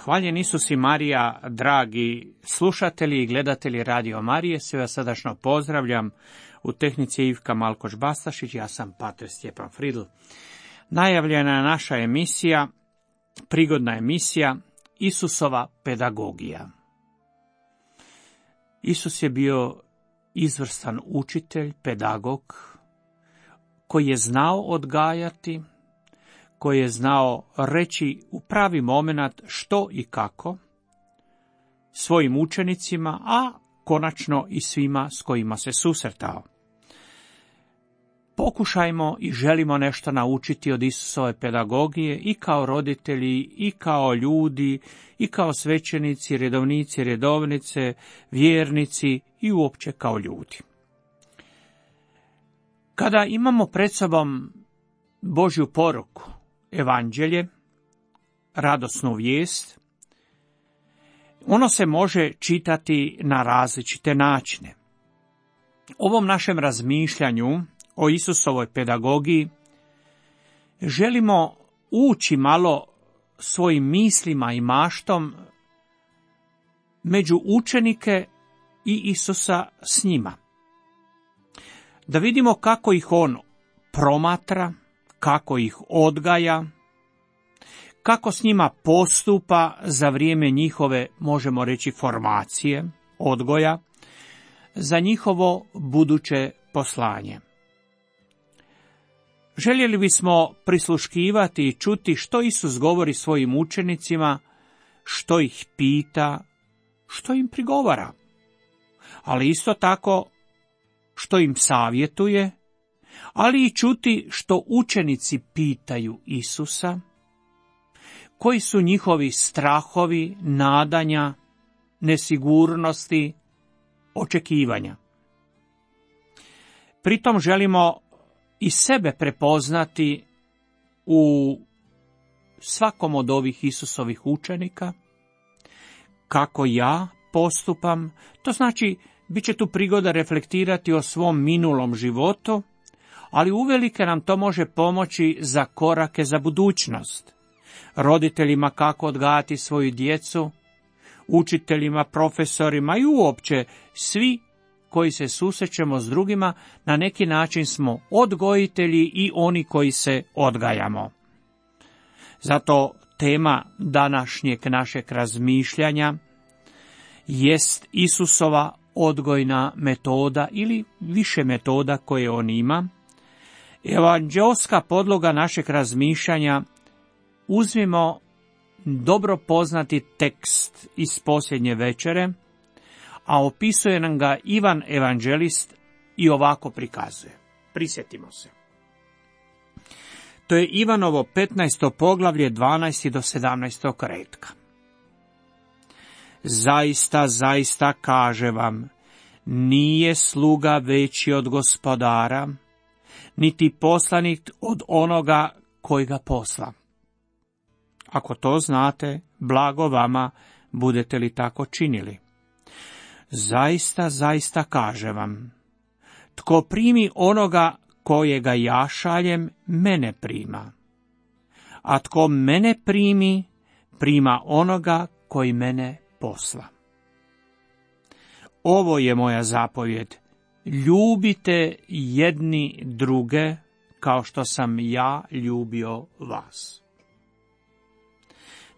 Hvaljen Isus i Marija, dragi slušatelji i gledatelji Radio Marije, sve vas srdačno pozdravljam. U tehnici je Ivka Malkoš-Bastašić, ja sam pater Stjepan Fridl. Najavljena je naša emisija, prigodna emisija, Isusova pedagogija. Isus je bio izvrstan učitelj, pedagog, koji je znao odgajati, koji je znao reći u pravi moment što i kako svojim učenicima, a konačno i svima s kojima se susretao. Pokušajmo i želimo nešto naučiti od Isusove pedagogije i kao roditelji, i kao ljudi, i kao svećenici, redovnici, redovnice, vjernici i uopće kao ljudi. Kada imamo pred sobom Božju poruku, evanđelje, radosnu vijest, ono se može čitati na različite načine. Ovom našem razmišljanju o Isusovoj pedagogiji želimo ući malo svojim mislima i maštom među učenike i Isusa s njima. Da vidimo kako ih on promatra, kako ih odgaja, kako s njima postupa za vrijeme njihove, možemo reći, formacije, odgoja, za njihovo buduće poslanje. Željeli bismo prisluškivati i čuti što Isus govori svojim učenicima, što ih pita, što im prigovara, ali isto tako što im savjetuje, ali i čuti što učenici pitaju Isusa, koji su njihovi strahovi, nadanja, nesigurnosti, očekivanja. Pritom želimo i sebe prepoznati u svakom od ovih Isusovih učenika, kako ja postupam, to znači bit će tu prigoda reflektirati o svom minulom životu, ali uvelike nam to može pomoći za korake za budućnost. Roditeljima kako odgajati svoju djecu, učiteljima, profesorima i uopće svi koji se susrećemo s drugima, na neki način smo odgojitelji i oni koji se odgajamo. Zato tema današnjeg našeg razmišljanja jest Isusova odgojna metoda ili više metoda koje on ima. Evanđeoska podloga našeg razmišljanja, uzmimo dobro poznati tekst iz posljednje večere, a opisuje nam ga Ivan evanđelist i ovako prikazuje. Prisjetimo se. To je Ivanovo 15. poglavlje 12. do 17. retka. Zaista, zaista kaže vam, nije sluga veći od gospodara, niti poslanik od onoga koji ga posla. Ako to znate, blago vama, budete li tako činili. Zaista, zaista kaže vam, tko primi onoga kojega ja šaljem, mene prima. A tko mene primi, prima onoga koji mene posla. Ovo je moja zapovjed. Ljubite jedni druge kao što sam ja ljubio vas.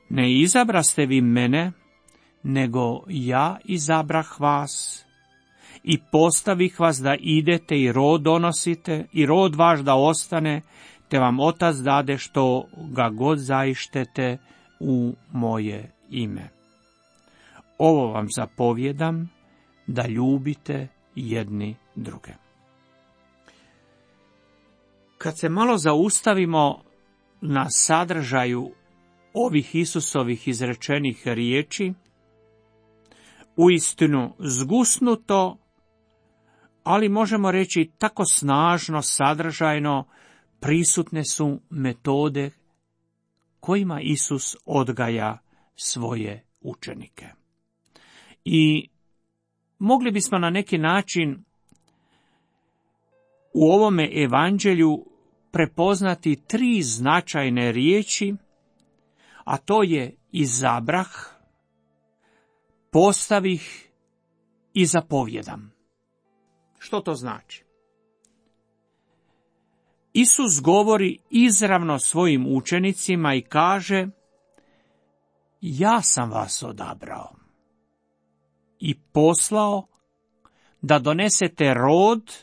Ne izabraste vi mene, nego ja izabrah vas i postavih vas da idete i rod donosite i rod vaš da ostane, te vam Otac dade što ga god zaištete u moje ime. Ovo vam zapovjedam, da ljubite jedni druge. Kad se malo zaustavimo na sadržaju ovih Isusovih izrečenih riječi, uistinu zgusnuto, ali možemo reći tako snažno, sadržajno, prisutne su metode kojima Isus odgaja svoje učenike. I mogli bismo na neki način u ovome evanđelju prepoznati 3 značajne riječi, a to je izabrah, postavih i zapovjedam. Što to znači? Isus govori izravno svojim učenicima i kaže: ja sam vas odabrao i poslao da donesete rod,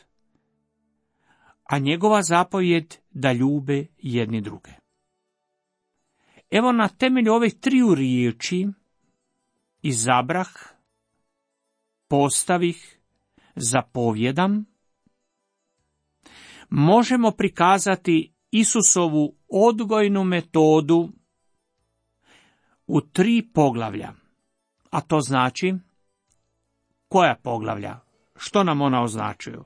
a njegova zapovjed da ljube jedni druge. Evo, na temelju ovih triju riječi, izabrah, postavih, zapovjedam, možemo prikazati Isusovu odgojnu metodu u 3 poglavlja. A to znači, koja poglavlja? Što nam ona označuju?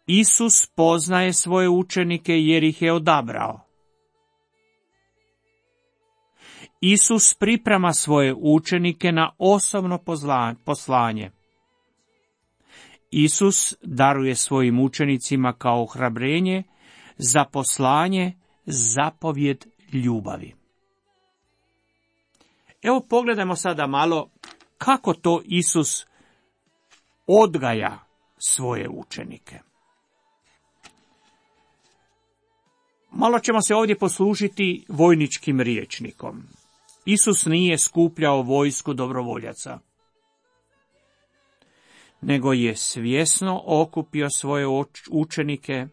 Isus poznaje svoje učenike jer ih je odabrao. Isus priprema svoje učenike na osobno poslanje. Isus daruje svojim učenicima kao ohrabrenje za poslanje, zapovjed ljubavi. Evo, pogledajmo sada malo kako to Isus odgaja svoje učenike. Malo ćemo se ovdje poslužiti vojničkim rječnikom. Isus nije skupljao vojsku dobrovoljaca, nego je svjesno okupio svoje učenike,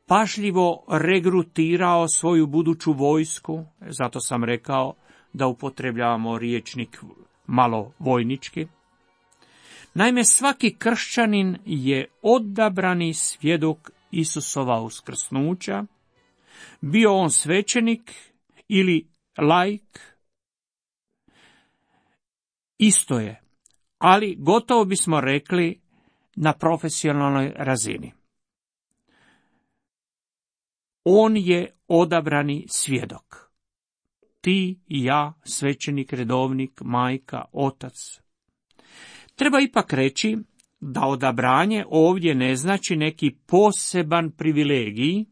pažljivo regrutirao svoju buduću vojsku, zato sam rekao da upotrebljavamo rječnik malo vojnički. Naime, svaki kršćanin je odabrani svjedok Isusova uskrsnuća, bio on svećenik ili laik, isto je, ali gotovo bismo rekli na profesionalnoj razini. On je odabrani svjedok. Ti i ja, svećenik, redovnik, majka, otac. Treba ipak reći da odabranje ovdje ne znači neki poseban privilegij,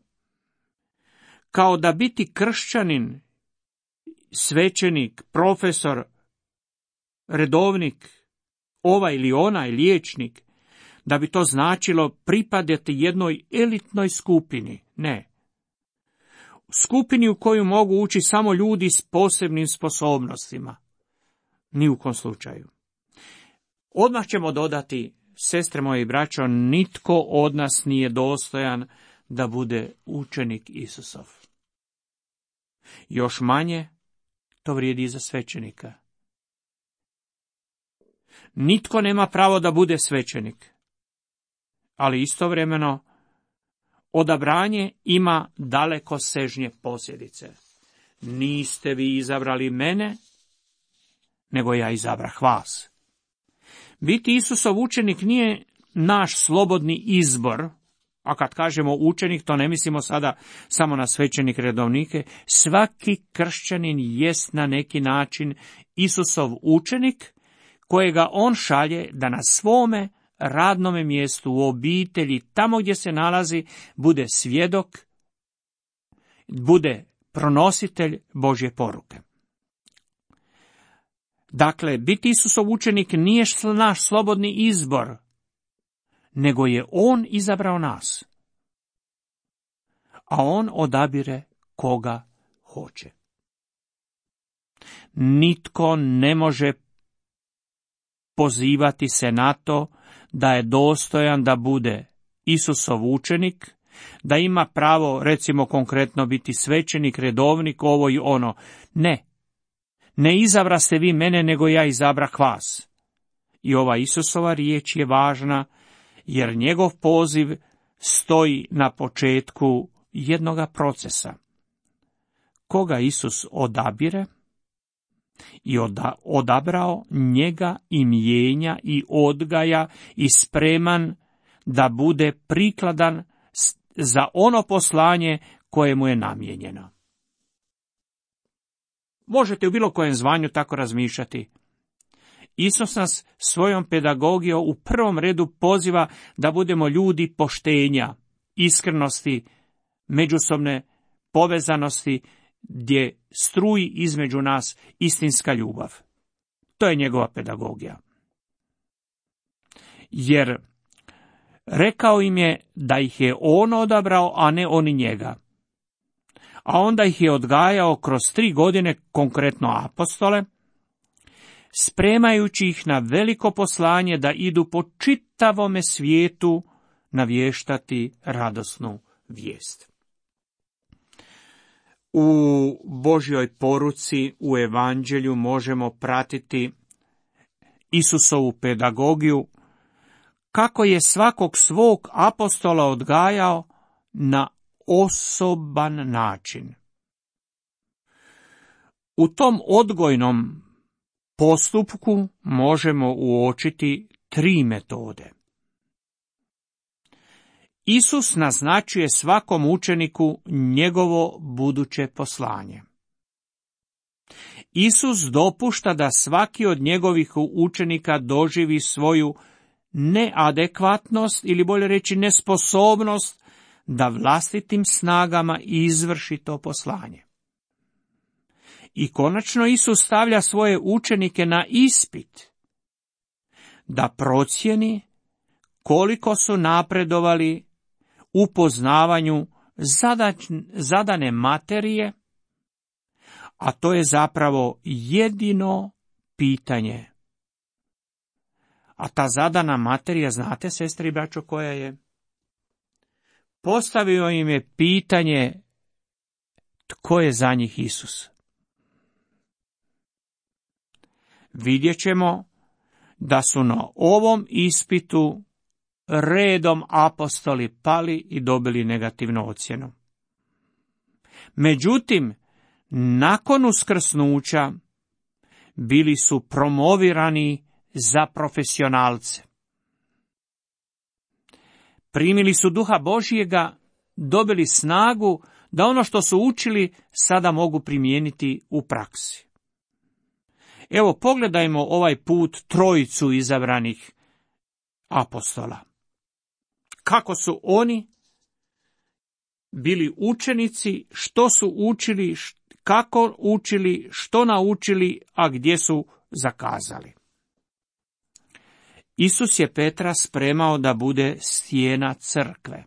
kao da biti kršćanin, svećenik, profesor, redovnik, ovaj ili onaj liječnik, da bi to značilo pripadati jednoj elitnoj skupini. Ne. Skupini u koju mogu ući samo ljudi s posebnim sposobnostima. Ni u kom slučaju. Odmah ćemo dodati, sestre moje i braćo, nitko od nas nije dostojan da bude učenik Isusov. Još manje to vrijedi i za svećenika. Nitko nema pravo da bude svećenik, ali istovremeno odabranje ima dalekosežnje posljedice. Niste vi izabrali mene, nego ja izabrah vas. Biti Isusov učenik nije naš slobodni izbor, a kad kažemo učenik, to ne mislimo sada samo na svećenik redovnike. Svaki kršćanin jest na neki način Isusov učenik, kojega on šalje da na svome radnome mjestu, u obitelji, tamo gdje se nalazi, bude svjedok, bude pronositelj Božje poruke. Dakle, biti Isusov učenik nije naš slobodni izbor, nego je on izabrao nas. A on odabire koga hoće. Nitko ne može pozivati se na to da je dostojan da bude Isusov učenik, da ima pravo, recimo konkretno, biti svećenik, redovnik, ovo i ono. Ne. Ne izabraste vi mene, nego ja izabrah vas. I ova Isusova riječ je važna, jer njegov poziv stoji na početku jednoga procesa. Koga Isus odabire i odabrao, njega i mijenja i odgaja i spreman da bude prikladan za ono poslanje koje mu je namijenjeno. Možete u bilo kojem zvanju tako razmišljati. Isus nas svojom pedagogijom u prvom redu poziva da budemo ljudi poštenja, iskrenosti, međusobne povezanosti gdje struji između nas istinska ljubav. To je njegova pedagogija. Jer rekao im je da ih je on odabrao, a ne oni njega. A onda ih je odgajao kroz 3 godine, konkretno apostole, spremajući ih na veliko poslanje da idu po čitavome svijetu navještati radosnu vijest. U Božjoj poruci, u evanđelju možemo pratiti Isusovu pedagogiju, kako je svakog svog apostola odgajao na osoban način. U tom odgojnom postupku možemo uočiti 3 metode. Isus naznačuje svakom učeniku njegovo buduće poslanje. Isus dopušta da svaki od njegovih učenika doživi svoju neadekvatnost ili bolje reći nesposobnost da vlastitim snagama izvrši to poslanje. I konačno Isus stavlja svoje učenike na ispit da procijeni koliko su napredovali u poznavanju zadane materije, a to je zapravo jedino pitanje. A ta zadana materija, znate, sestre i braćo, koja je? Postavio im je pitanje tko je za njih Isus. Vidjet ćemo da su na ovom ispitu redom apostoli pali i dobili negativnu ocjenu. Međutim, nakon uskrsnuća bili su promovirani za profesionalce. Primili su Duha Božjega, dobili snagu da ono što su učili sada mogu primijeniti u praksi. Evo, pogledajmo ovaj put 3 izabranih apostola. Kako su oni bili učenici, što su učili, kako učili, što naučili, a gdje su zakazali. Isus je Petra spremao da bude stijena crkve,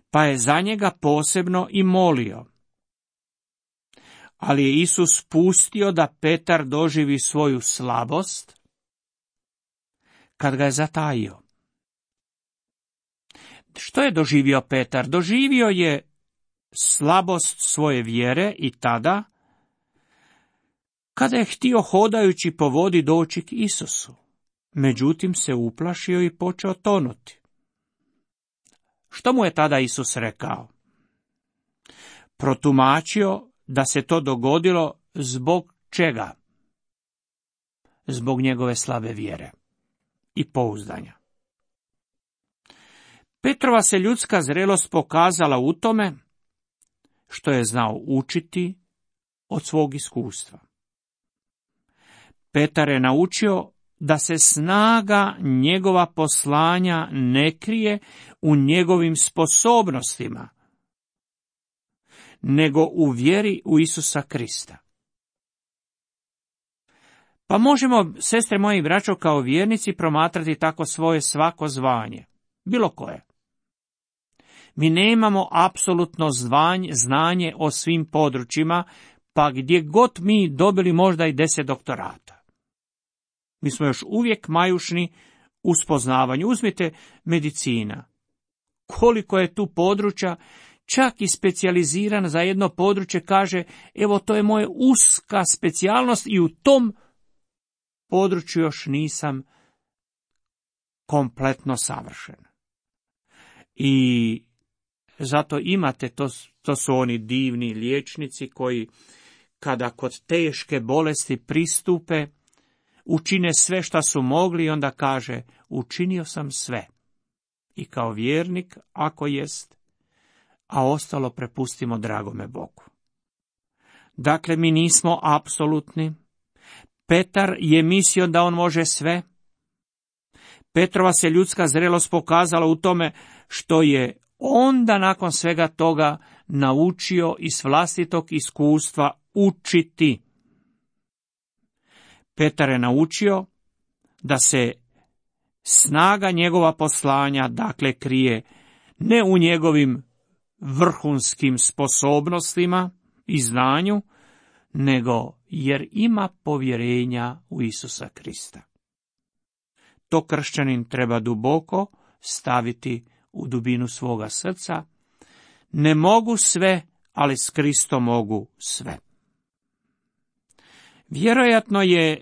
pa je za njega posebno i molio. Ali je Isus pustio da Petar doživi svoju slabost kad ga je zatajio. Što je doživio Petar? Doživio je slabost svoje vjere i tada, kada je htio hodajući po vodi doći k Isusu. Međutim se uplašio i počeo tonuti. Što mu je tada Isus rekao? Protumačio da se to dogodilo zbog čega? Zbog njegove slabe vjere i pouzdanja. Petrova se ljudska zrelost pokazala u tome što je znao učiti od svog iskustva. Petar je naučio da se snaga njegova poslanja ne krije u njegovim sposobnostima, nego u vjeri u Isusa Krista. Pa možemo, sestre moje i braćo, kao vjernici promatrati tako svoje svako zvanje, bilo koje. Mi nemamo apsolutno znanje o svim područjima, pa gdje god mi dobili možda i 10 doktorata. Mi smo još uvijek majušni u spoznavanju. Uzmite medicina. Koliko je tu područja, čak i specijaliziran za jedno područje kaže, evo to je moja uska specijalnost i u tom području još nisam kompletno savršen. I zato imate, to su oni divni liječnici koji kada kod teške bolesti pristupe, učine sve što su mogli i onda kaže, učinio sam sve. I kao vjernik, ako jest, a ostalo prepustimo dragome Bogu. Dakle, mi nismo apsolutni. Petar je mislio da on može sve. Petrova se ljudska zrelost pokazala u tome što je onda nakon svega toga naučio iz vlastitog iskustva učiti. Petar je naučio da se snaga njegova poslanja, dakle, krije ne u njegovim vrhunskim sposobnostima i znanju, nego jer ima povjerenja u Isusa Krista. To kršćanin treba duboko staviti u dubinu svoga srca. Ne mogu sve, ali s Kristom mogu sve. Vjerojatno je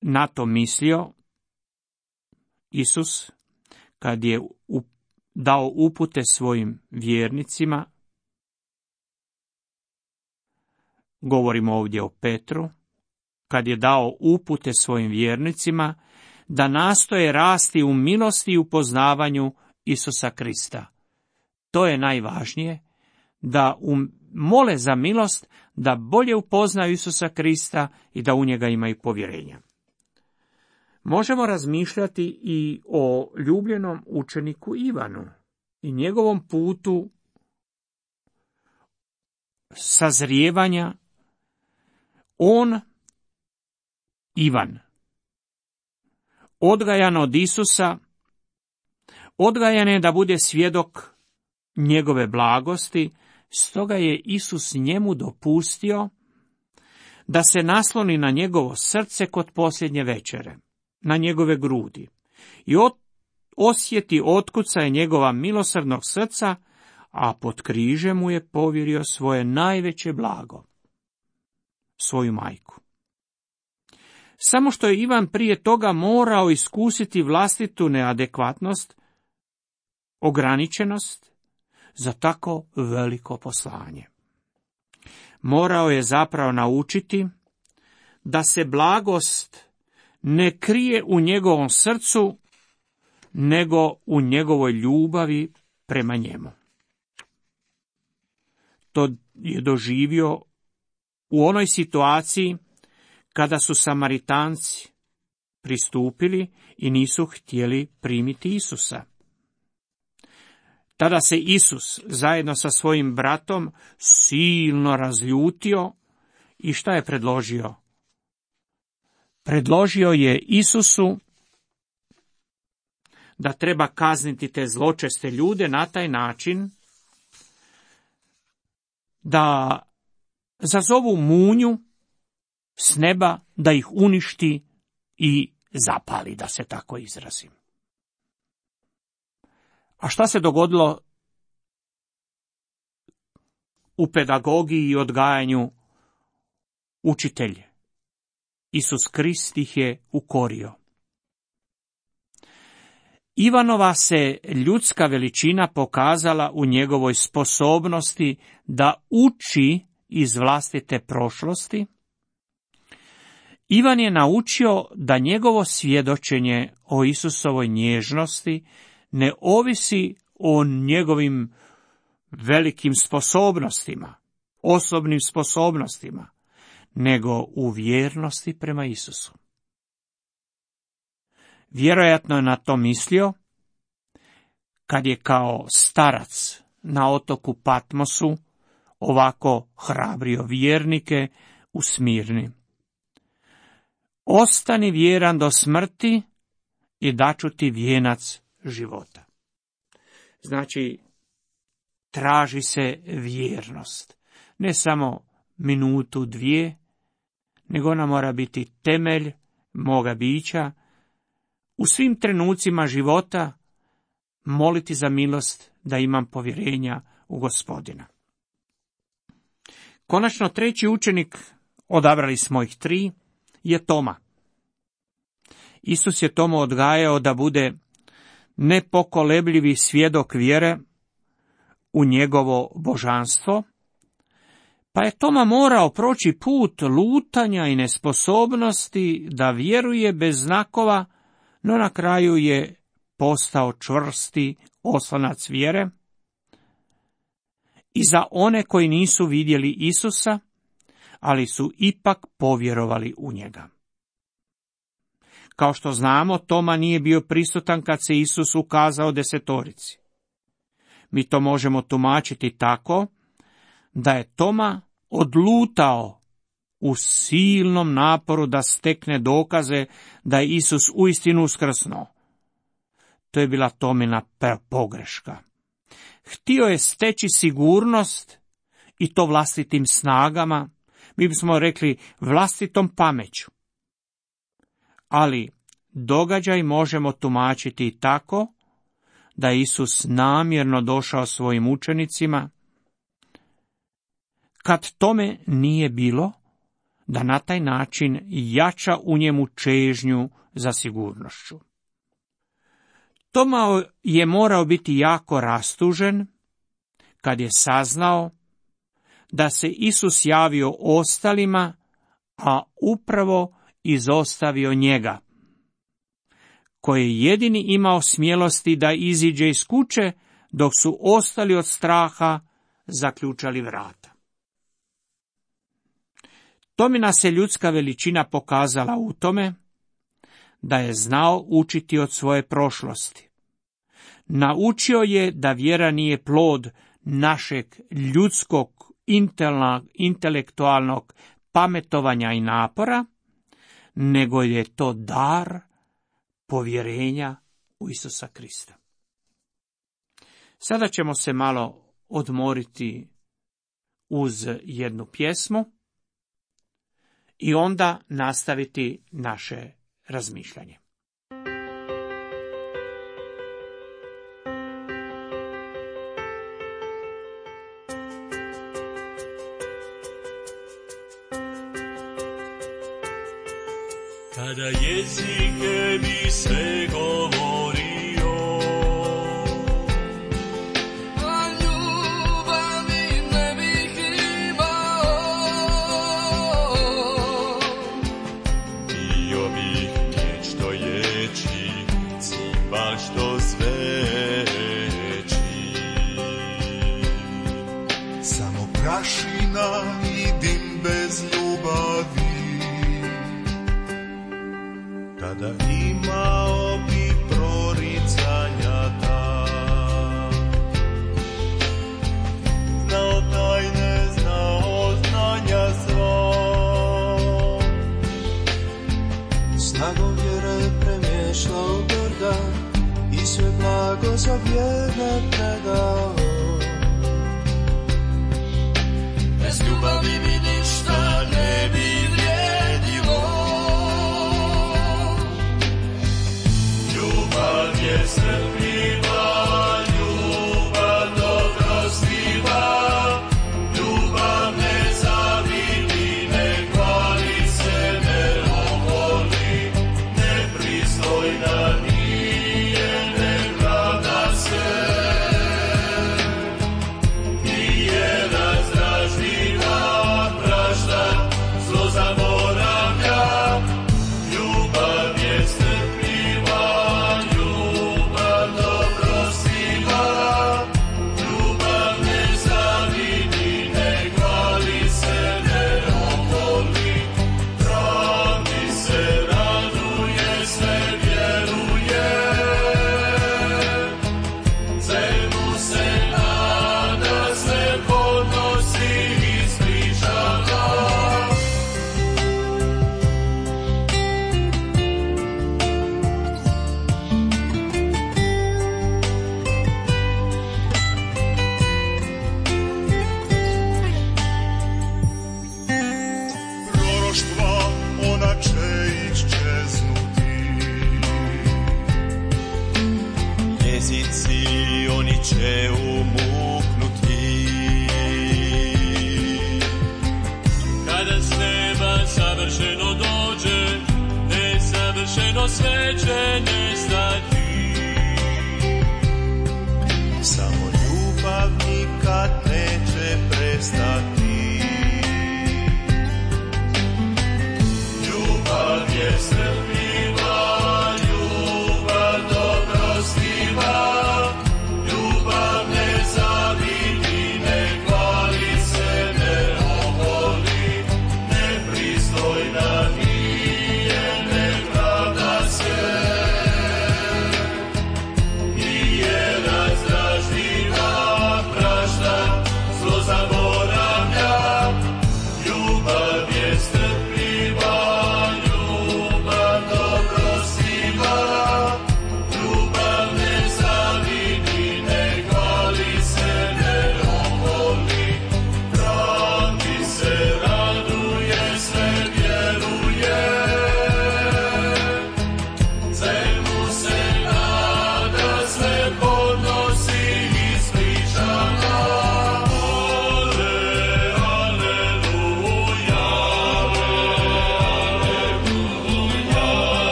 na to mislio Isus kad je dao upute svojim vjernicima. Govorimo ovdje o Petru, kad je dao upute svojim vjernicima da nastoje rasti u milosti i u poznavanju Isusa Krista. To je najvažnije, da mole za milost, da bolje upoznaju Isusa Krista i da u njega imaju povjerenja. Možemo razmišljati i o ljubljenom učeniku Ivanu i njegovom putu sazrijevanja. Ivan, odgajan od Isusa, odgajan je da bude svjedok njegove blagosti, stoga je Isus njemu dopustio da se nasloni na njegovo srce kod posljednje večere, na njegove grudi, i osjeti otkucaje njegova milosrdnog srca, a pod križem mu je povjerio svoje najveće blago, svoju majku. Samo što je Ivan prije toga morao iskusiti vlastitu neadekvatnost, ograničenost za tako veliko poslanje. Morao je zapravo naučiti da se blagost ne krije u njegovom srcu, nego u njegovoj ljubavi prema njemu. To je doživio u onoj situaciji kada su Samaritanci pristupili i nisu htjeli primiti Isusa. Tada se Isus zajedno sa svojim bratom silno razljutio i šta je predložio? Predložio je Isusu da treba kazniti te zločeste ljude na taj način da zazovu munju s neba, da ih uništi i zapali, da se tako izrazim. A šta se dogodilo u pedagogiji i odgajanju učitelje? Isus Krist ih je ukorio. Ivanova se ljudska veličina pokazala u njegovoj sposobnosti da uči iz vlastite prošlosti. Ivan je naučio da njegovo svjedočenje o Isusovoj nježnosti ne ovisi o njegovim velikim sposobnostima, osobnim sposobnostima, nego u vjernosti prema Isusu. Vjerojatno je na to mislio kad je kao starac na otoku Patmosu ovako hrabrio vjernike u Smirni. Ostani vjeran do smrti i daću ti vijenac života. Znači, traži se vjernost. Ne samo minutu, dvije, nego ona mora biti temelj moga bića. U svim trenucima života moliti za milost da imam povjerenja u Gospodina. Konačno, treći učenik, odabrali smo ih 3, je Toma. Isus je Tomu odgajao da bude nepokolebljivi svjedok vjere u njegovo božanstvo, pa je Toma morao proći put lutanja i nesposobnosti da vjeruje bez znakova, no na kraju je postao čvrsti oslonac vjere i za one koji nisu vidjeli Isusa, ali su ipak povjerovali u njega. Kao što znamo, Toma nije bio prisutan kad se Isus ukazao 10. Mi to možemo tumačiti tako da je Toma odlutao u silnom naporu da stekne dokaze da je Isus uistinu uskrsnuo. To je bila Tomina pogreška. Htio je steći sigurnost i to vlastitim snagama, mi bismo rekli vlastitom pameću. Ali događaj možemo tumačiti i tako da je Isus namjerno došao svojim učenicima, kad tome nije bilo, da na taj način jača u njemu čežnju za sigurnošću. Toma je morao biti jako rastužen kad je saznao da se Isus javio ostalima, a upravo izostavio njega, koji je jedini imao smjelosti da iziđe iz kuće, dok su ostali od straha zaključali vrata. Tomina se ljudska veličina pokazala u tome da je znao učiti od svoje prošlosti. Naučio je da vjera nije plod našeg ljudskog intelektualnog pametovanja i napora, nego je to dar povjerenja u Isusa Krista. Sada ćemo se malo odmoriti uz jednu pjesmu i onda nastaviti naše razmišljanje. Kada jezike bi sve govorio, a ljubavi ne bih imao, bio bih nešto ječi, cimbal što zveči. Samo prašina i dim bez ljubavi, tada imao bi proricanja ta. Znao tajne, znao znanja svo, snagom vjere premješao brda i sve blago za vjerne predao. Bez ljubavi mi ništa ne bi vrijedilo. Ljubav je strpljiva, ljubav dobrostiva, ljubav ne zavidi, ne hvali se, ne oholi, nepristojna nije, ne pravda se, nije razdražljiva, prašta, zlo zaboravlja. Ljubav je strpljiva, ljubav dobrostiva, ljubav ne zavidi, ne hvali se, ne oholi, pravdi se raduje, sve vjeruje, svemu se nada, sve podnosi i ispričava. Proroštva, ona će iščeznuti, jezici oni će umuknuti. Kada s neba savršeno dođe, nesavršeno sve će nestati. Samo ljubav nikad neće prestati. Ljubav je strpljiva, ljubav dobrostiva, ljubav ne zavidi, ne hvali se, ne oholi, nepristojna nije, ne pravda se,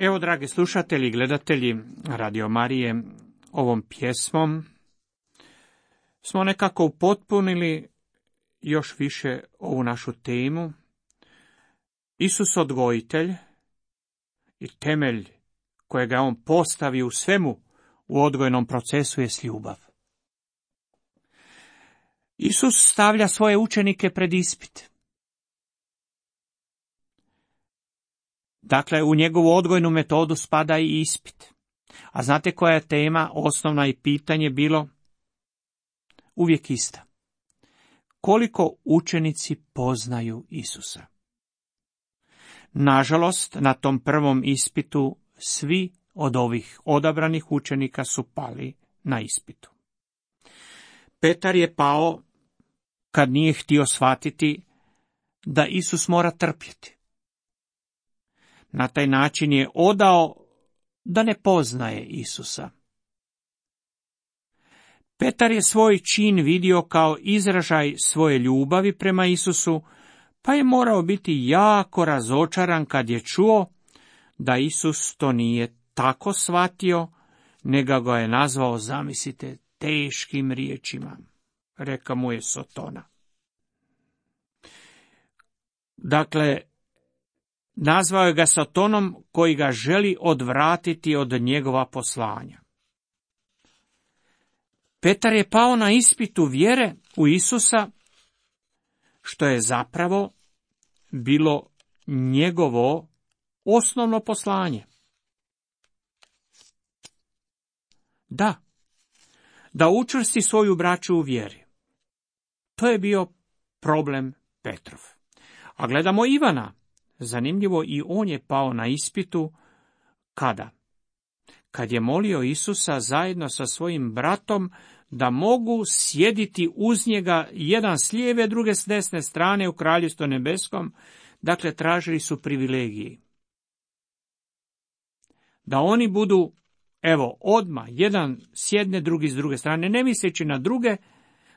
Evo, dragi slušatelji i gledatelji Radio Marije, ovom pjesmom smo nekako upotpunili još više ovu našu temu. Isus odgojitelj i temelj kojega je on postavio u svemu u odgojnom procesu je ljubav. Isus stavlja svoje učenike pred ispit. Dakle, u njegovu odgojnu metodu spada i ispit. A znate koja je tema, osnovna i pitanje bilo? Uvijek ista. Koliko učenici poznaju Isusa? Nažalost, na tom prvom ispitu svi od ovih odabranih učenika su pali na ispitu. Petar je pao kad nije htio shvatiti da Isus mora trpjeti. Na taj način je odao da ne poznaje Isusa. Petar je svoj čin vidio kao izražaj svoje ljubavi prema Isusu, pa je morao biti jako razočaran kad je čuo da Isus to nije tako shvatio, nego ga je nazvao, zamislite, teškim riječima. Reka mu je sotona. Dakle, nazvao je ga sotonom koji ga želi odvratiti od njegova poslanja. Petar je pao na ispitu vjere u Isusa, što je zapravo bilo njegovo osnovno poslanje. Da učvrsti svoju braću u vjeri. To je bio problem Petrov. A gledamo Ivana. Zanimljivo, i on je pao na ispitu kada? Kad je molio Isusa zajedno sa svojim bratom da mogu sjediti uz njega, jedan s lijeve, druge s desne strane u Kraljevstvu nebeskom, dakle tražili su privilegiji. Da oni budu, odmah, jedan s jedne, drugi s druge strane, ne misleći na druge,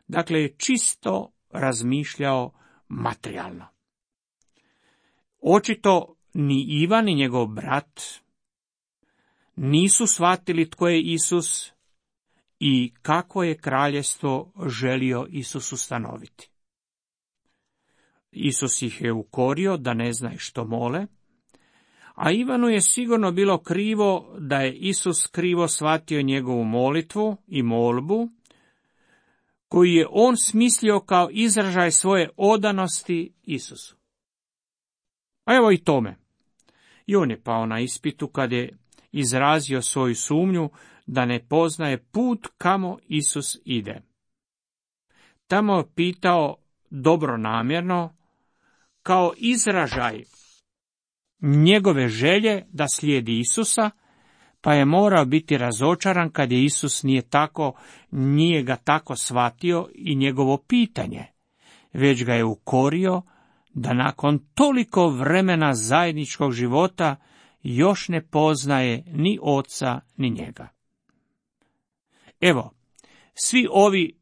dakle je čisto razmišljao materijalno. Očito ni Ivan ni njegov brat nisu shvatili tko je Isus i kako je kraljevstvo želio Isus ustanoviti. Isus ih je ukorio da ne znaju što mole, a Ivanu je sigurno bilo krivo da je Isus krivo shvatio njegovu molitvu i molbu, koju je on smislio kao izražaj svoje odanosti Isusu. A evo i tome. I on je pao na ispitu kad je izrazio svoju sumnju da ne poznaje put kamo Isus ide. Tamo je pitao dobronamjerno, kao izražaj njegove želje da slijedi Isusa, pa je morao biti razočaran kad je Isus nije ga tako shvatio i njegovo pitanje, već ga je ukorio da nakon toliko vremena zajedničkog života još ne poznaje ni oca ni njega. Evo, svi ovi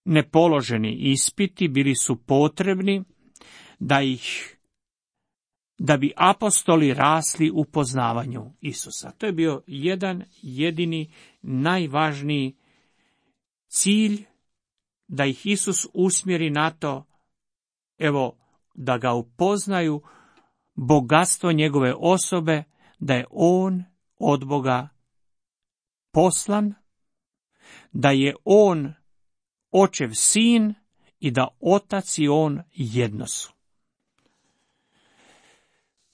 nepoloženi ispiti bili su potrebni da bi apostoli rasli u poznavanju Isusa. To je bio jedan jedini najvažniji cilj, da ih Isus usmjeri na to, da ga upoznaju bogatstvo njegove osobe, da je on od Boga poslan, da je on očev sin i da otac i on jedno su.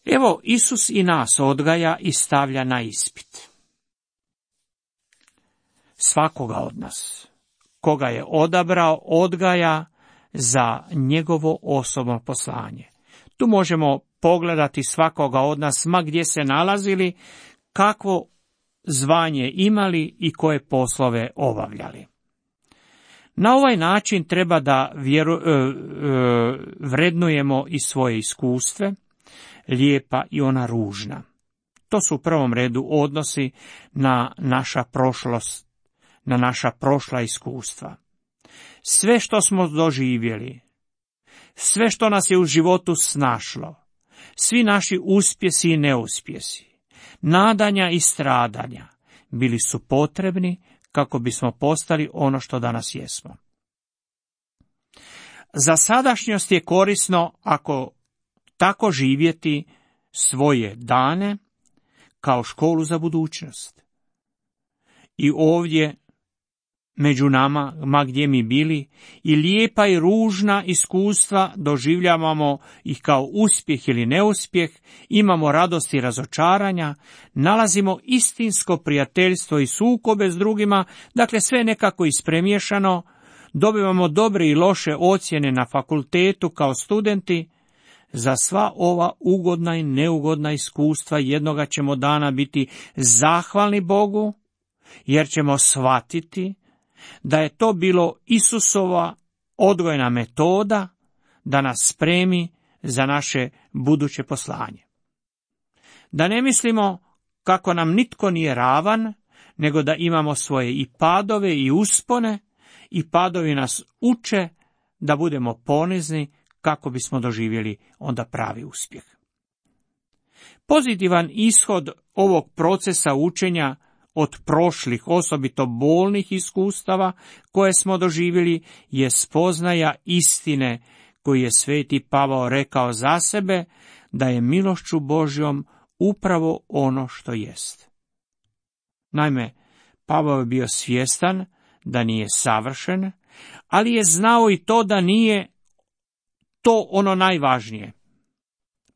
Evo, Isus i nas odgaja i stavlja na ispit. Svakoga od nas, koga je odabrao, odgaja za njegovo osobno poslanje. Tu možemo pogledati svakoga od nas, ma gdje se nalazili, kakvo zvanje imali i koje poslove obavljali. Na ovaj način treba da vrednujemo i svoje iskustve, lijepa i ona ružna. To su u prvom redu odnosi na naša prošlost, na naša prošla iskustva. Sve što smo doživjeli, sve što nas je u životu snašlo, svi naši uspjesi i neuspjesi, nadanja i stradanja bili su potrebni kako bismo postali ono što danas jesmo. Za sadašnjost je korisno ako tako živjeti svoje dane kao školu za budućnost. I ovdje među nama, ma gdje mi bili, i lijepa i ružna iskustva doživljavamo ih kao uspjeh ili neuspjeh, imamo radost i razočaranja, nalazimo istinsko prijateljstvo i sukobe s drugima, dakle sve nekako ispremiješano, dobivamo dobre i loše ocjene na fakultetu kao studenti. Za sva ova ugodna i neugodna iskustva jednoga ćemo dana biti zahvalni Bogu, jer ćemo shvatiti da je to bilo Isusova odgojna metoda da nas spremi za naše buduće poslanje. Da ne mislimo kako nam nitko nije ravan, nego da imamo svoje i padove i uspone, i padovi nas uče da budemo ponizni kako bismo doživjeli onda pravi uspjeh. Pozitivan ishod ovog procesa učenja od prošlih, osobito bolnih iskustava koje smo doživjeli, je spoznaja istine koju je sveti Pavao rekao za sebe, da je milošću Božjom upravo ono što jest. Naime, Pavao je bio svjestan da nije savršen, ali je znao i to da nije to ono najvažnije.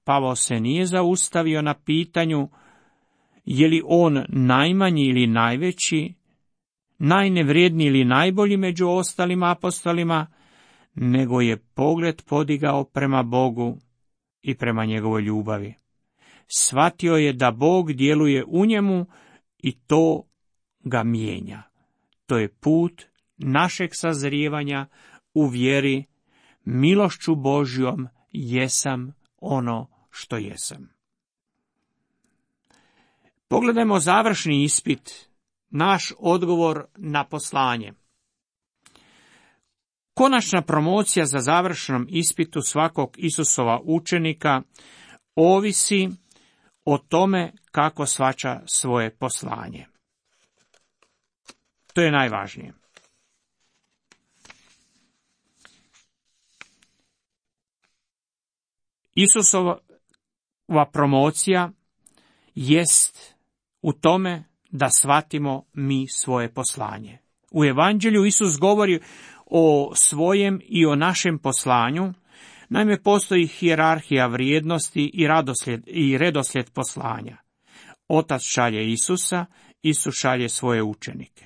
Pavao se nije zaustavio na pitanju je li on najmanji ili najveći, najnevrijedniji ili najbolji među ostalim apostolima, nego je pogled podigao prema Bogu i prema njegovoj ljubavi. Shvatio je da Bog djeluje u njemu i to ga mijenja. To je put našeg sazrijevanja u vjeri, milošću Božjom jesam ono što jesam. Pogledajmo završni ispit, naš odgovor na poslanje. Konačna promocija za završnom ispitu svakog Isusova učenika ovisi o tome kako shvaća svoje poslanje. To je najvažnije. Isusova promocija jest u tome da shvatimo mi svoje poslanje. U Evanđelju Isus govori o svojem i o našem poslanju. Naime, postoji hijerarhija vrijednosti i redoslijed poslanja. Otac šalje Isusa, Isus šalje svoje učenike.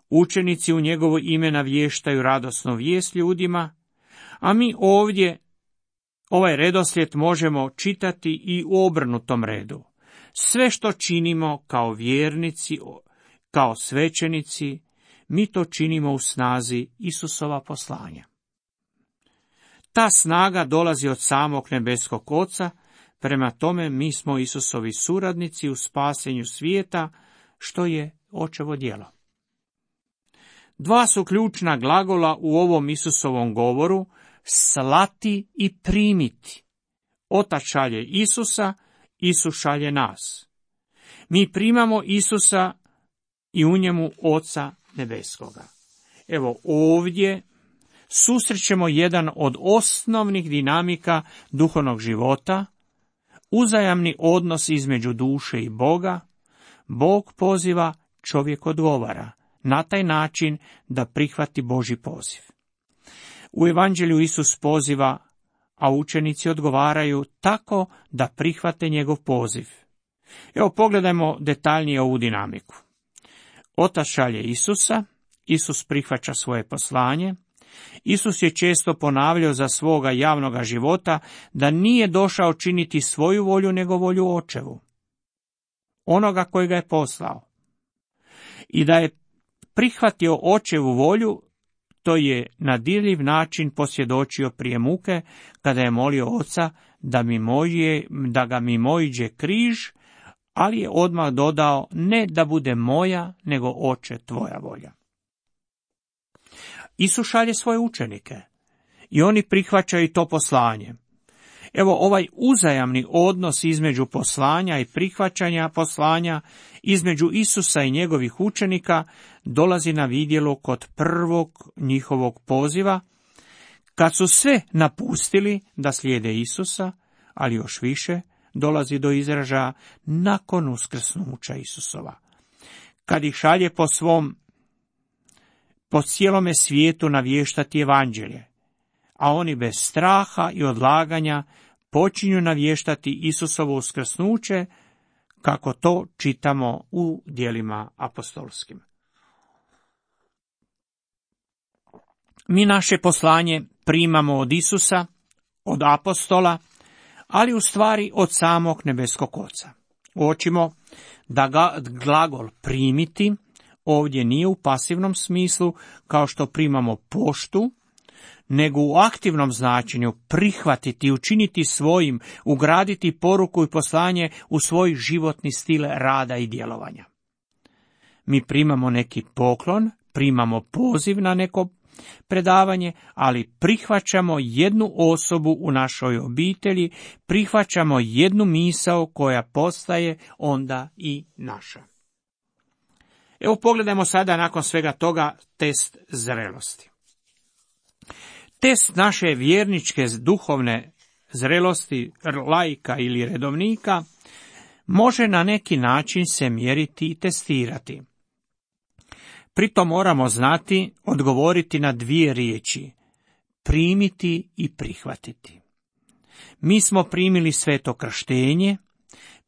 Učenici u njegovo ime navještaju radosnu vijest ljudima, a mi ovdje ovaj redoslijed možemo čitati i u obrnutom redu. Sve što činimo kao vjernici, kao svećenici, mi to činimo u snazi Isusova poslanja. Ta snaga dolazi od samog nebeskog Oca, prema tome mi smo Isusovi suradnici u spasenju svijeta, što je Očevo djelo. Dva su ključna glagola u ovom Isusovom govoru, slati i primiti. Otac šalje Isusa, Isus šalje nas. Mi primamo Isusa i u njemu Oca nebeskoga. Evo ovdje susrećemo jedan od osnovnih dinamika duhovnog života, uzajamni odnos između duše i Boga. Bog poziva, čovjek odgovara, na taj način da prihvati Božji poziv. U Evanđelju Isus poziva, a učenici odgovaraju tako da prihvate njegov poziv. Evo pogledajmo detaljnije ovu dinamiku. Otac šalje Isusa, Isus prihvaća svoje poslanje. Isus je često ponavljao za svoga javnoga života da nije došao činiti svoju volju nego volju Očevu, onoga koji ga je poslao. I da je prihvatio Očevu volju, to je na dirljiv način posvjedočio prije muke, kada je molio Oca da ga mimoiđe križ, ali je odmah dodao, ne da bude moja, nego Oče tvoja volja. Isus šalje svoje učenike i oni prihvaćaju to poslanje. Evo, ovaj uzajamni odnos između poslanja i prihvaćanja poslanja, između Isusa i njegovih učenika, dolazi na vidjelo kod prvog njihovog poziva, kad su sve napustili da slijede Isusa, ali još više dolazi do izražaja nakon uskrsnuća Isusova, kad ih šalje po cijelome svijetu navještati evanđelje, a oni bez straha i odlaganja počinju navještati Isusovo uskrsnuće, kako to čitamo u djelima apostolskim. Mi naše poslanje primamo od Isusa, od apostola, ali u stvari od samog nebeskog Oca. Uočimo da glagol primiti ovdje nije u pasivnom smislu kao što primamo poštu, nego u aktivnom značenju prihvatiti, učiniti svojim, ugraditi poruku i poslanje u svoj životni stil rada i djelovanja. Mi primamo neki poklon, primamo poziv na neko predavanje, ali prihvaćamo jednu osobu u našoj obitelji, prihvaćamo jednu misao koja postaje onda i naša. Evo pogledajmo sada nakon svega toga test zrelosti. Test naše vjerničke duhovne zrelosti, laika ili redovnika, može na neki način se mjeriti i testirati. Pritom moramo znati odgovoriti na dvije riječi: primiti i prihvatiti. Mi smo primili sveto krštenje,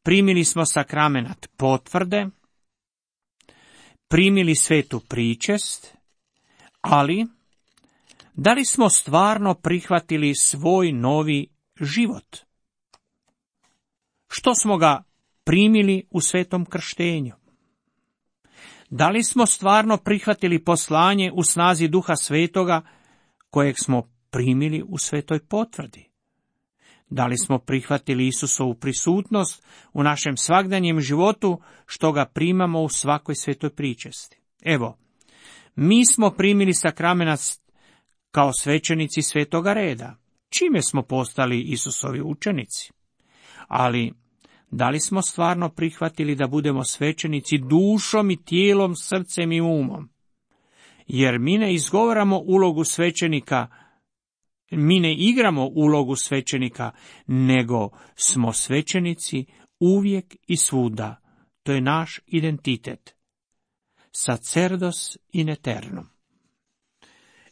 primili smo sakramenat potvrde, primili svetu pričest, ali da li smo stvarno prihvatili svoj novi život? Što smo ga primili u svetom krštenju? Da li smo stvarno prihvatili poslanje u snazi Duha Svetoga kojeg smo primili u svetoj potvrdi? Da li smo prihvatili Isusovu prisutnost u našem svakdanjem životu što ga primamo u svakoj svetoj pričesti? Evo, mi smo primili sakramenat kao svećenici svetoga reda, čime smo postali Isusovi učenici. Ali da li smo stvarno prihvatili da budemo svećenici dušom i tijelom, srcem i umom? Jer mi ne izgovaramo ulogu svećenika, mi ne igramo ulogu svećenika, nego smo svećenici uvijek i svuda. To je naš identitet. Sacerdos in eternum.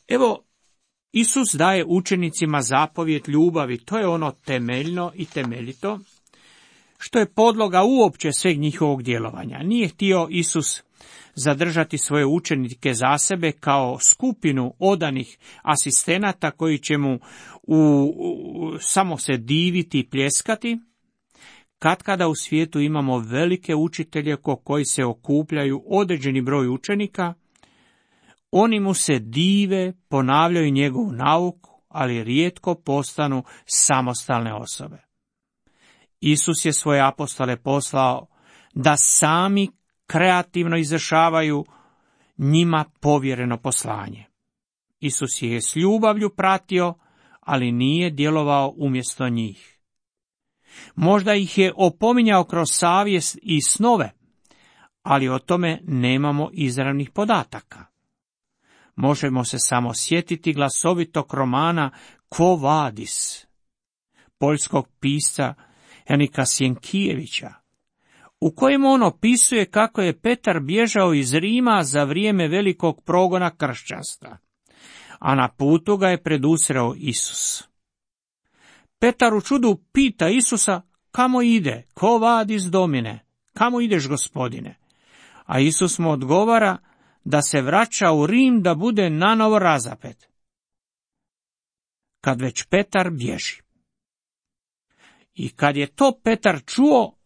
Evo, Isus daje učenicima zapovijed ljubavi, to je ono temeljno i temeljito, što je podloga uopće sveg njihovog djelovanja. Nije htio Isus zadržati svoje učenike za sebe kao skupinu odanih asistenata koji će mu samo se diviti i pljeskati. Katkada u svijetu imamo velike učitelje koji se okupljaju određeni broj učenika, oni mu se dive, ponavljaju njegovu nauku, ali rijetko postanu samostalne osobe. Isus je svoje apostole poslao da sami kreativno izvršavaju njima povjereno poslanje. Isus je s ljubavlju pratio, ali nije djelovao umjesto njih. Možda ih je opominjao kroz savjest i snove, ali o tome nemamo izravnih podataka. Možemo se samo sjetiti glasovitog romana Quo vadis, poljskog pisca Janika Sjenkijevića, u kojem on opisuje kako je Petar bježao iz Rima za vrijeme velikog progona kršćanstva, a na putu ga je predusreo Isus. Petar u čudu pita Isusa: kamo ide? Quo vadis domine? Kamo ideš, gospodine? A Isus mu odgovara da se vraća u Rim da bude nanovo razapet. Kad već Petar bježi. I kad je to Petar čuo,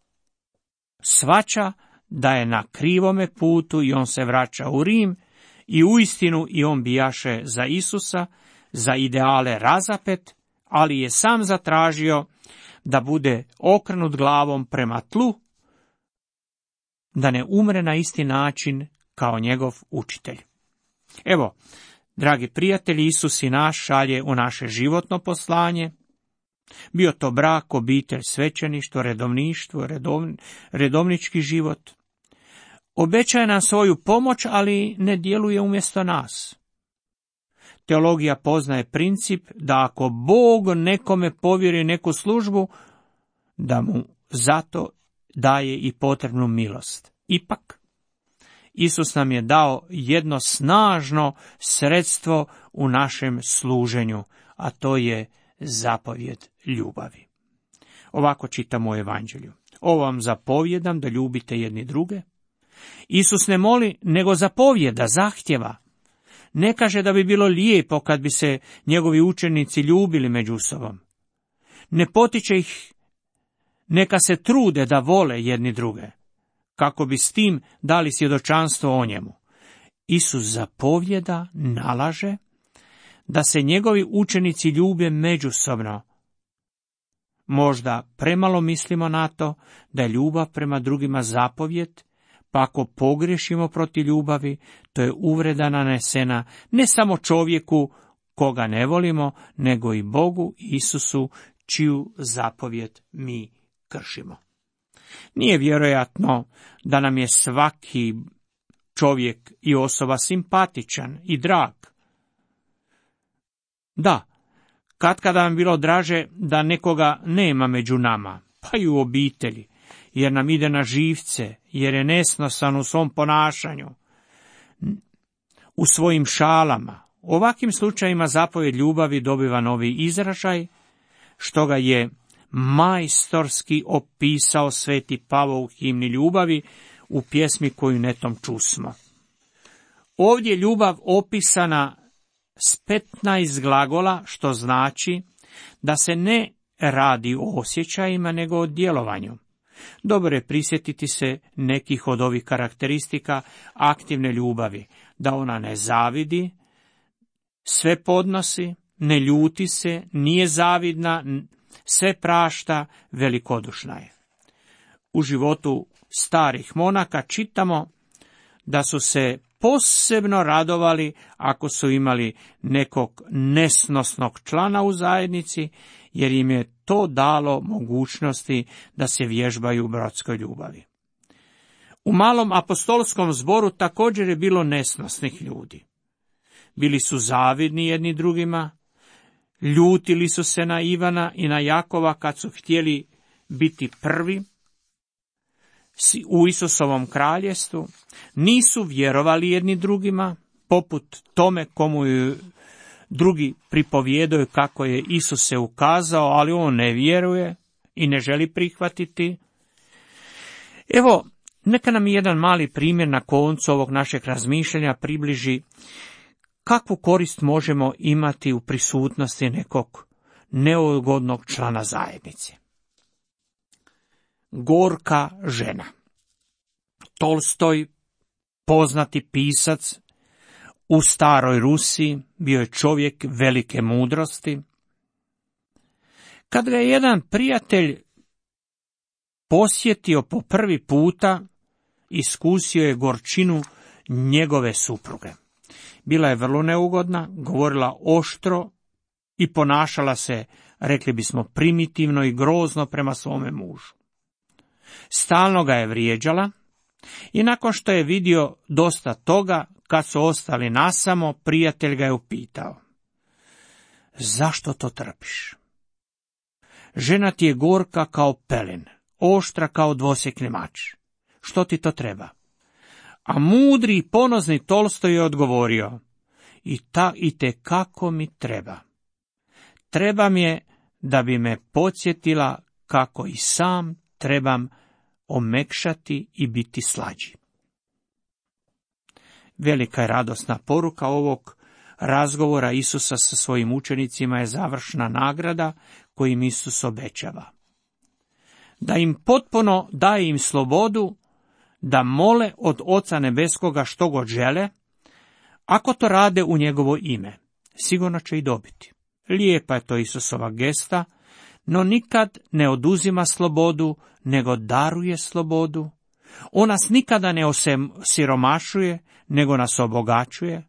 shvaća da je na krivome putu i on se vraća u Rim i uistinu i on bijaše za Isusa, za ideale razapet, ali je sam zatražio da bude okrenut glavom prema tlu, da ne umre na isti način kao njegov učitelj. Evo, dragi prijatelji, Isus i naš šalje u naše životno poslanje, Bio to brak, obitelj, svećeništvo, redovništvo, redovnički život. Obećaje nam svoju pomoć, ali ne djeluje umjesto nas. Teologija poznaje princip da ako Bog nekome povjeri neku službu, da mu zato daje i potrebnu milost. Ipak, Isus nam je dao jedno snažno sredstvo u našem služenju, a to je zapovjed ljubavi. Ovako čitamo u Evanđelju. Ovo vam zapovjedam da ljubite jedni druge. Isus ne moli, nego zapovjeda, zahtjeva. Ne kaže da bi bilo lijepo kad bi se njegovi učenici ljubili među sobom. Ne potiče ih neka se trude da vole jedni druge, kako bi s tim dali svjedočanstvo o njemu. Isus zapovjeda, nalaže da se njegovi učenici ljube međusobno. Možda premalo mislimo na to da je ljubav prema drugima zapovjed, pa ako pogriješimo protiv ljubavi, to je uvreda nanesena ne samo čovjeku koga ne volimo, nego i Bogu Isusu, čiju zapovjed mi kršimo. Nije vjerojatno da nam je svaki čovjek i osoba simpatičan i drag. Da, katkada nam bilo draže da nekoga nema među nama, pa i u obitelji, jer nam ide na živce, jer je nesnosan u svom ponašanju, u svojim šalama. U ovakvim slučajima zapovjed ljubavi dobiva novi izražaj, što ga je majstorski opisao sveti Pavao u himni ljubavi u pjesmi koju netom čusmo. Ovdje je ljubav opisana s 15 glagola, što znači da se ne radi o osjećajima, nego o djelovanju. Dobro je prisjetiti se nekih od ovih karakteristika aktivne ljubavi, da ona ne zavidi, sve podnosi, ne ljuti se, nije zavidna, sve prašta, velikodušna je. U životu starih monaka čitamo da su se posebno radovali ako su imali nekog nesnosnog člana u zajednici, jer im je to dalo mogućnosti da se vježbaju u bratskoj ljubavi. U malom apostolskom zboru također je bilo nesnosnih ljudi. Bili su zavidni jedni drugima, ljutili su se na Ivana i na Jakova kad su htjeli biti prvi u Isusovom kraljestvu, nisu vjerovali jedni drugima, poput tome komu je drugi pripovjedaju kako je Isus se ukazao, ali on ne vjeruje i ne želi prihvatiti. Evo, neka nam jedan mali primjer na koncu ovog našeg razmišljanja približi kakvu korist možemo imati u prisutnosti nekog neugodnog člana zajednice. Gorka žena. Tolstoj, poznati pisac u staroj Rusiji, bio je čovjek velike mudrosti. Kad ga je jedan prijatelj posjetio po prvi puta, iskusio je gorčinu njegove supruge. Bila je vrlo neugodna, govorila oštro i ponašala se, rekli bismo, primitivno i grozno prema svome mužu. Stalno ga je vrijeđala i nakon što je vidio dosta toga, kad su ostali nasamo, prijatelj ga je upitao: zašto to trpiš? Žena ti je gorka kao pelin, oštra kao dvosjekli mač. Što ti to treba? A mudri i ponosni Tolstoj je odgovorio: i te kako mi treba. Treba mi je da bi me podsjetila kako i sam trebam omekšati i biti slađi. Velika je radosna poruka ovog razgovora Isusa sa svojim učenicima je završna nagrada koju im Isus obećava. Da im potpuno daje im slobodu da mole od Oca Nebeskoga što god žele, ako to rade u njegovo ime, sigurno će i dobiti. Lijepa je to Isusova gesta, no nikad ne oduzima slobodu, nego daruje slobodu. On nas nikada ne osiromašuje, nego nas obogaćuje.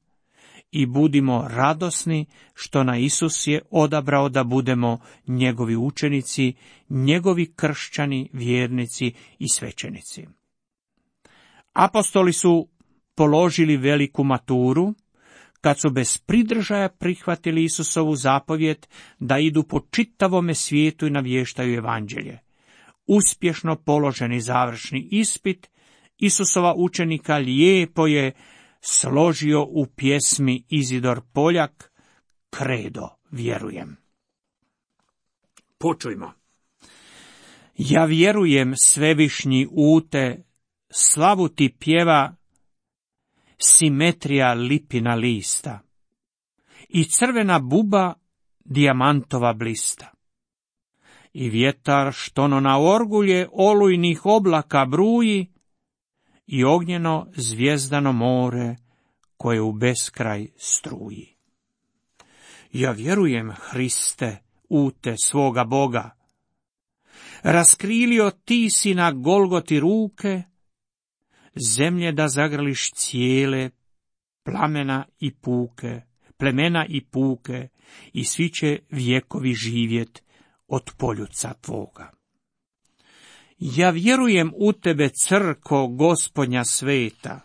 i budimo radosni što nas Isus je odabrao da budemo njegovi učenici, njegovi kršćani, vjernici i svećenici. Apostoli su položili veliku maturu kad su bez pridržaja prihvatili Isusovu zapovjed da idu po čitavome svijetu i navještaju evanđelje. Uspješno položeni završni ispit Isusova učenika lijepo je složio u pjesmi Izidor Poljak, Kredo vjerujem. Počujmo. Ja vjerujem, svevišnji ute, slavu ti pjeva simetrija lipina lista i crvena buba dijamantova blista. I vjetar štono na orgulje olujnih oblaka bruji i ognjeno zvijezdano more koje u beskraj struji. Ja vjerujem, Hriste, ute svoga Boga, raskrilio ti si na Golgoti ruke, zemlje da zagrliš cijele, plemena i puke, i svi će vjekovi živjet od poljuca tvoga. Ja vjerujem u tebe, crko Gospodnja sveta,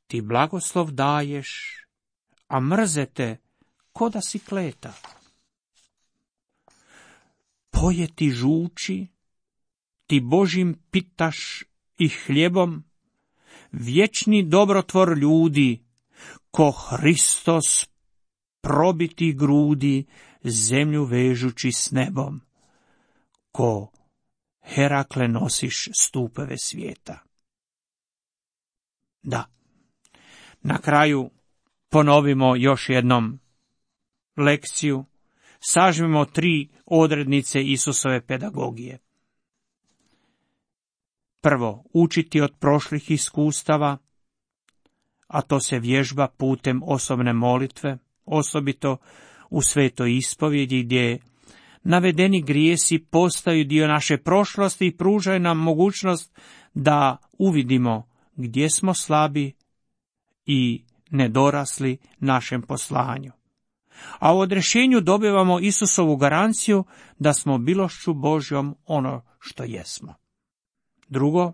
ti blagoslov daješ, a mrzete ko da si kleta. Poje ti žuči, ti Božim pitaš i hljebom, vječni dobrotvor ljudi, ko Hristos probiti grudi, zemlju vežući s nebom, ko Herakle nosiš stupeve svijeta. Da, na kraju ponovimo još jednom lekciju, sažmimo 3 odrednice Isusove pedagogije. Prvo, učiti od prošlih iskustava, a to se vježba putem osobne molitve, osobito u svetoj ispovjedi gdje navedeni grijesi postaju dio naše prošlosti i pružaju nam mogućnost da uvidimo gdje smo slabi i nedorasli našem poslanju. A u odrješenju dobivamo Isusovu garanciju da smo milošću Božjom ono što jesmo. Drugo,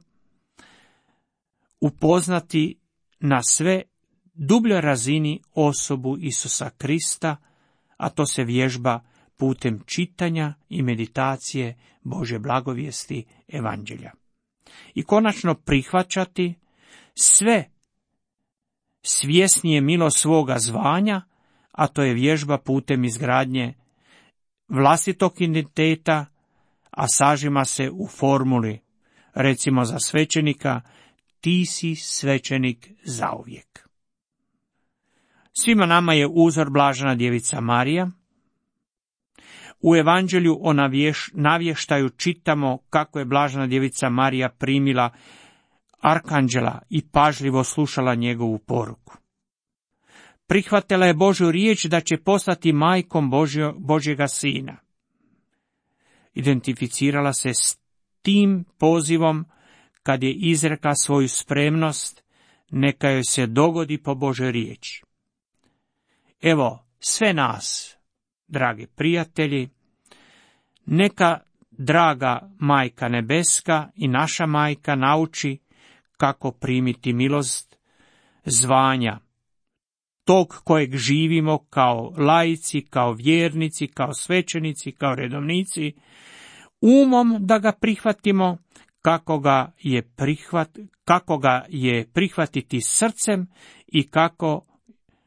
upoznati na sve dubljoj razini osobu Isusa Krista, a to se vježba putem čitanja i meditacije Božje blagovijesti evanđelja. I konačno prihvaćati sve svjesnije milost svoga zvanja, a to je vježba putem izgradnje vlastitog identiteta, a sažima se u formuli, recimo za svećenika, ti si svećenik zauvijek. Svima nama je uzor blažena djevica Marija. U evanđelju o navještaju čitamo kako je blažena djevica Marija primila arkanđela i pažljivo slušala njegovu poruku. Prihvatila je Božju riječ da će postati majkom Božjega sina. Identificirala se s tim pozivom kad je izrekla svoju spremnost, neka joj se dogodi po Božoj riječi. Evo, sve nas, dragi prijatelji, neka draga Majka Nebeska i naša Majka nauči kako primiti milost zvanja, tog kojeg živimo kao laici, kao vjernici, kao svećenici, kao redovnici, umom da ga prihvatimo, kako ga je prihvatiti srcem i kako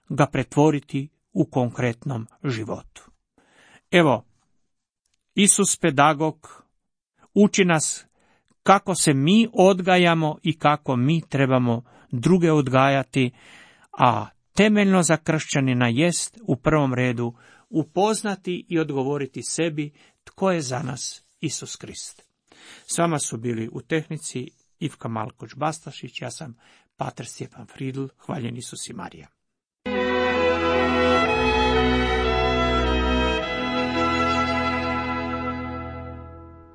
ga pretvoriti u konkretnom životu. Evo, Isus pedagog uči nas kako se mi odgajamo i kako mi trebamo druge odgajati, a temeljno za kršćanina jest u prvom redu upoznati i odgovoriti sebi tko je za nas Isus Krist. S vama su bili u tehnici Ivka Malkoć-Bastašić, ja sam pater Stjepan Fridl, hvaljen Isus i Marija.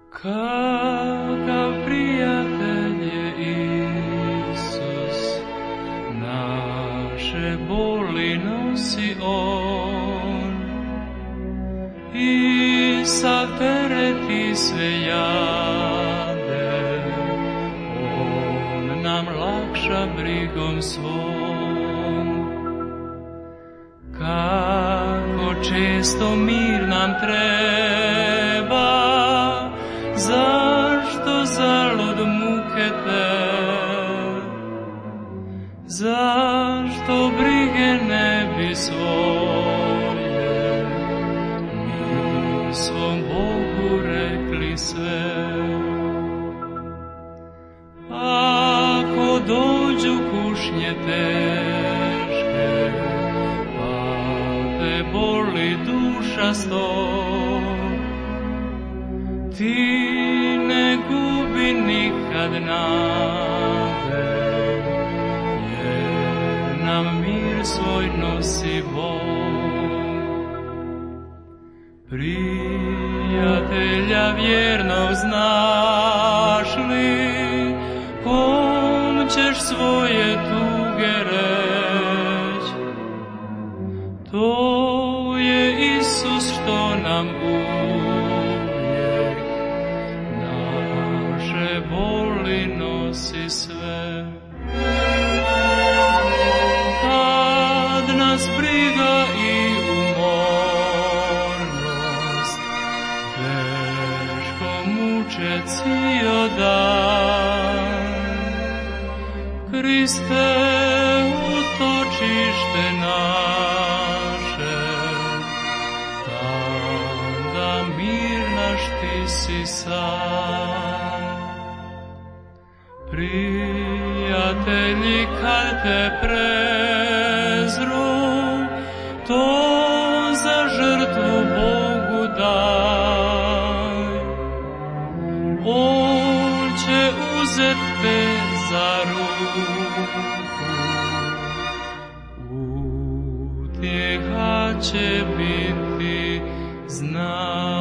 Kakav prijatelj je Isus, naše boli sve jade, on nam lakša brigom svom. Kako često mir nam treba, zašto zalud muke te? Zašto brige ne bi svoje mi svom Bogu rekli sve? Ako dođu kušnje teške, pa te boli duša sto, ti ne gubi nikad nade, jer nam mir svoj nosi Bog. Prijatelja vjernog znaš li, kom ćeš svoje tuge reć? To je Isus što nam uvijek naše boli nosi sve. Kad nas briga i umornost teško muče cijel dan, Kriste, utočište naše, tada mir naš ti si sam. Prijatelji, kad te prezru, to za žrtvu Bogu daj. On će uzet te za ruku, utjeha će biti znaj.